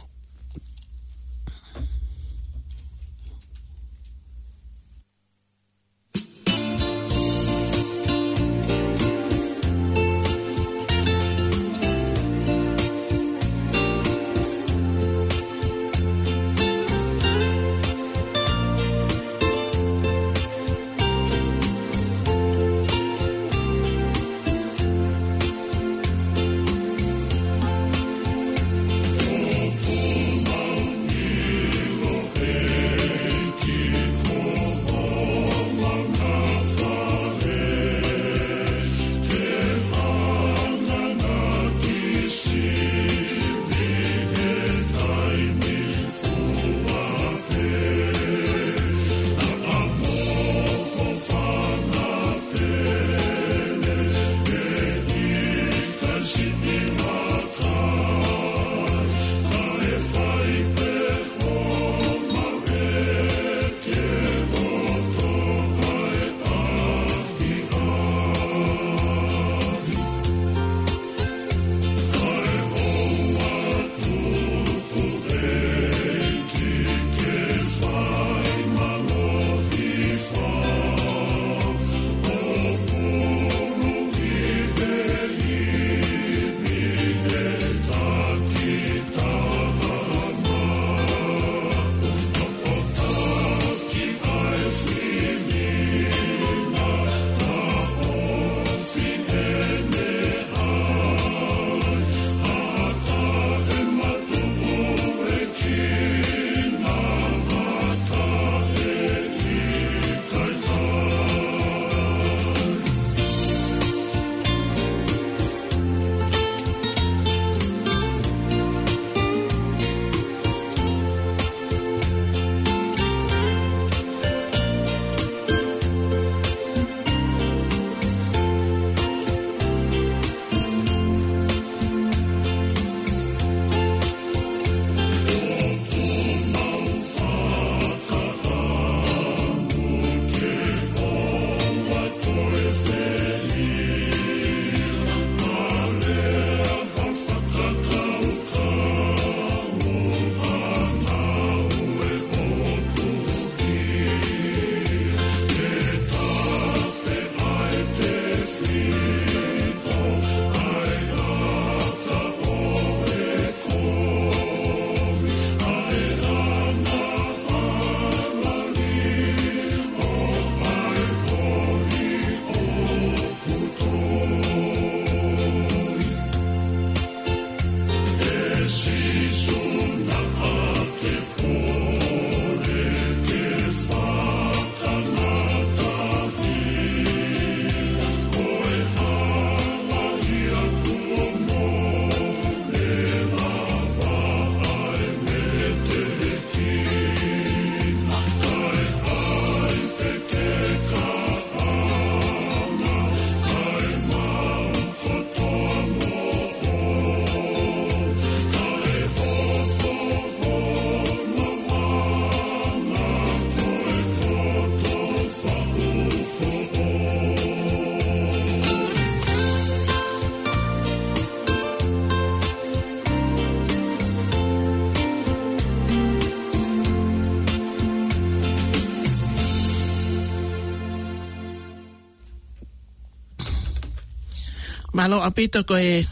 Mālō ʻaupito ko e,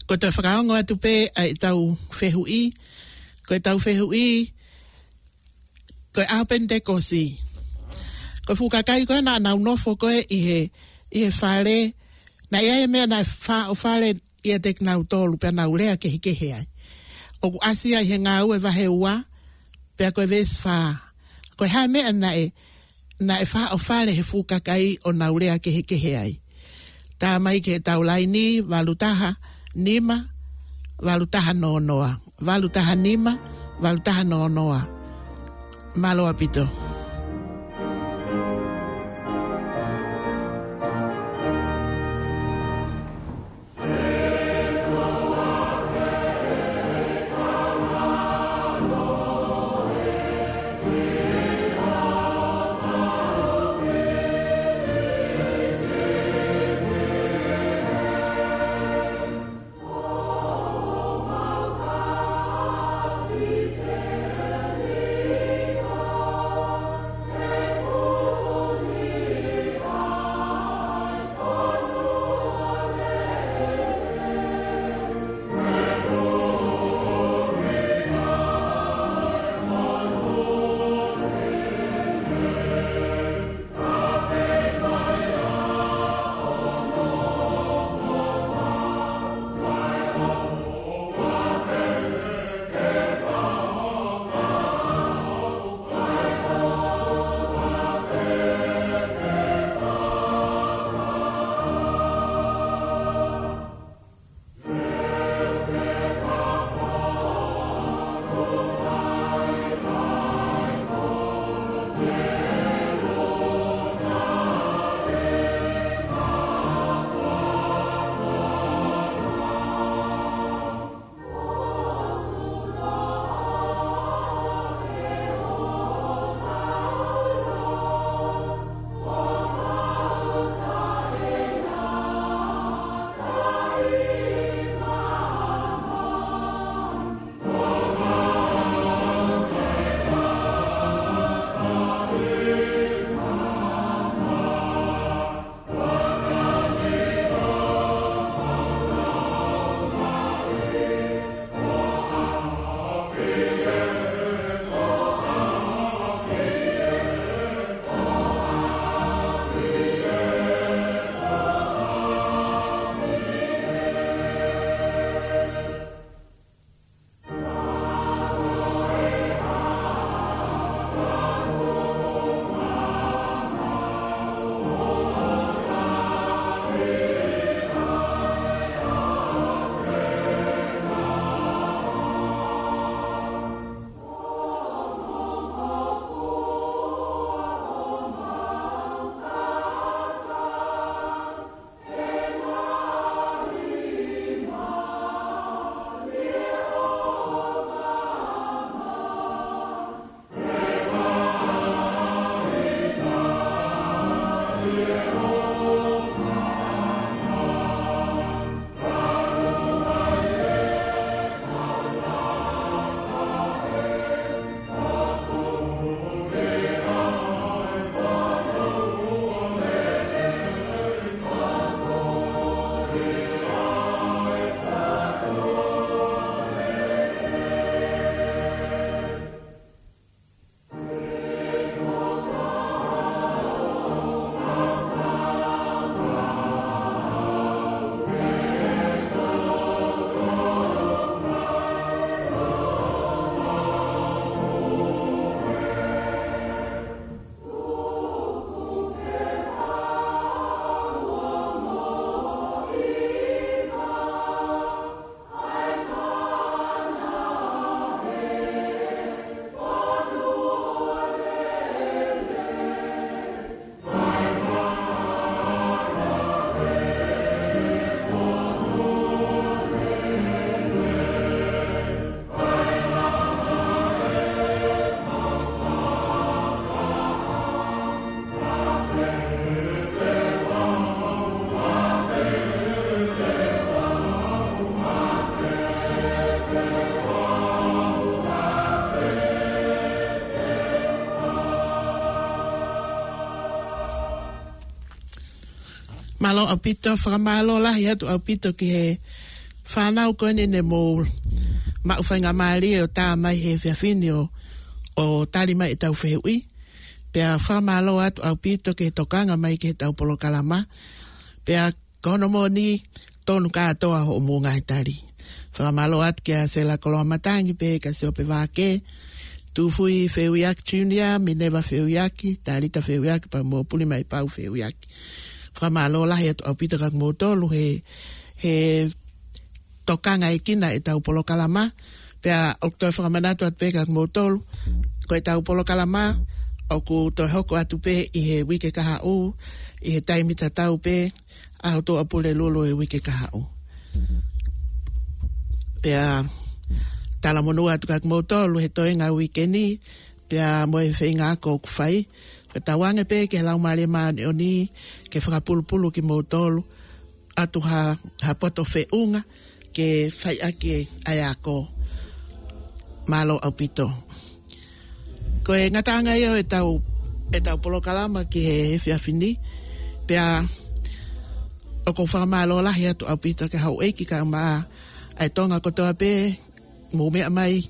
ko e toe fakaongo atu pē ʻa ʻetau fehuʻi, ko ʻetau fehuʻi, ko e ʻaho Penitekosi. Ko e fuʻu kakai ko ē naʻa nau nofo ko ē ʻi he, ʻi he fale, naʻe ʻi ai e meʻa naʻe faʻofale ʻiate kinautolu pea nau lea kehekehe ai. ʻOku ʻasi ai he Ngāue vahe ua, pea ko e veesi fā. Ko e hā e meʻa naʻe, naʻe faʻofale he fuʻu kakai ʻo nau lea kehekehe ai. Tā mai ki heʻetau laini, valu taha nima, valu taha noa noa. Valu taha nima, valu taha noa noa. Mālō ʻaupito. Mālō ʻaupito, fakamālō lahi atu ʻaupito ki he fānau ko eni ne mou maʻu faingamālie ʻo tā mai he efiafi ni ʻo, ʻo tali mai ʻetau fehuʻi. Pea fakamālō atu ʻaupito ki he tokanga mai ki heʻetau polokalama. Pea ko hono moʻoni, tonu kātoa hoʻomou ngaahi tali. Fakamālō atu kia Sela Koloamatangi pea kia Siope Vake, Tufui Feuiaki Junior, Mineva Feuiaki, Talita Feuiaki, pea mo Pulimaipau Feuiaki. Fakamālō lahi atu ʻaupito kia kimoutolu he, he tokangaʻekina ʻetau polokalama. Pea ʻoku toe fakamanatu atu pē kia kimoutolu, ko ʻetau polokalama ʻoku toe hoko atu pē ʻi he uike kahaʻu, ʻi he taimi tatau pē, ʻaho Tuʻapulelulu ʻo e uike kahaʻu. Pea talamonū atu kia kimoutolu he toenga ʻo e uike ni, pea mo e feinga ako ʻoku fai. Fakatauange pē ki he Laumālie Māʻoniʻoni ke fakapulupulu kimoutolu, ʻatu ha, ha poto feʻunga ke fai ʻaki ʻa e ako. Mālō ʻaupito. Ko e ngataʻanga ia ʻo ʻetau, ʻetau polokalama ki he efiafi ni, pea ʻoku ou fakamālō lahi atu ʻaupito ki he houʻeiki kae ʻumaʻā ʻa e Tonga kotoa pē, mou meʻa mai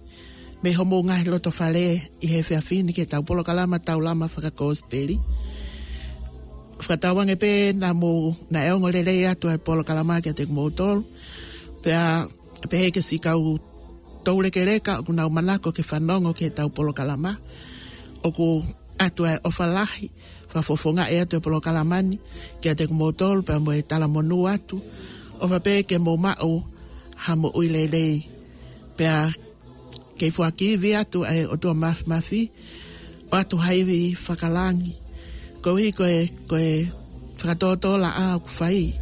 mei homou ngaahi loto fale ʻi he efiafi ni ki heʻetau polokalama Taulama Fakakosipeli. Fakatauange pē naʻa mou, naʻe ongo lelei atu ʻa e polokalama kiate kimoutolu. Pea pehē ki he siʻi kau toulekeleka ʻoku nau manako ke fanongo ki heʻetau polokalama, ʻoku ʻatu ʻa e ʻofa lahi, fakafofongaʻi atu e polokalama ni kiate kimoutolu, pea mo e talamonū atu. ʻOfa pē ke mou maʻu ha moʻui lelei. Pea kei foaki ivi atu ʻa e ʻOtua Māfimafi, ʻoatu ha ivi fakalangi. Koeʻuhi ko e, ko e fakatōtōlaʻā ʻoku fai.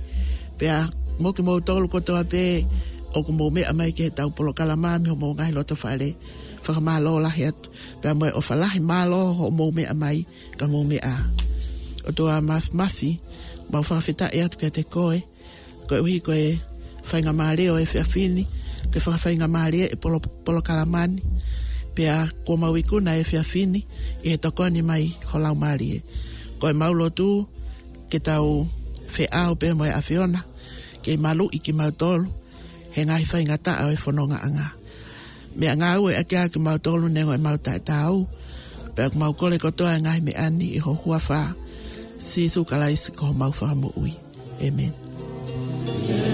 Pea mo kimoutolu kotoa pē ʻoku mou meʻa mai ki heʻetau polokalama mei homou ngaahi loto fale, fakamālō lahi atu. Pea mo e ʻofa lahi, mālō hoʻomou meʻa mai, ka mou meʻa. ʻOtua Māfimafi, mau fakafetaʻi atu kiate koe, koeʻuhi ko e faingamālie ʻo e efiafi ni, ke fakafaingamālie e polo-, polokalama ni, pea kuo mau ikuna e efiafi ni ʻi he tokoni mai ho Laumālie. Ko ʻemau lotu ke tau feʻao pē mo e ʻAfiona, ke maluʻi kimautolu he ngaahi faingataʻa ʻo e fonongaʻanga. Meʻangāueʻaki ʻa kimautolu neongo ʻemau taʻetaau, pea ʻoku mau kole kotoa e ngaahi meʻa ni ʻi ho huafa, Sīsū Kalaisi ko homau Fakamoʻui. ʻĒmeni.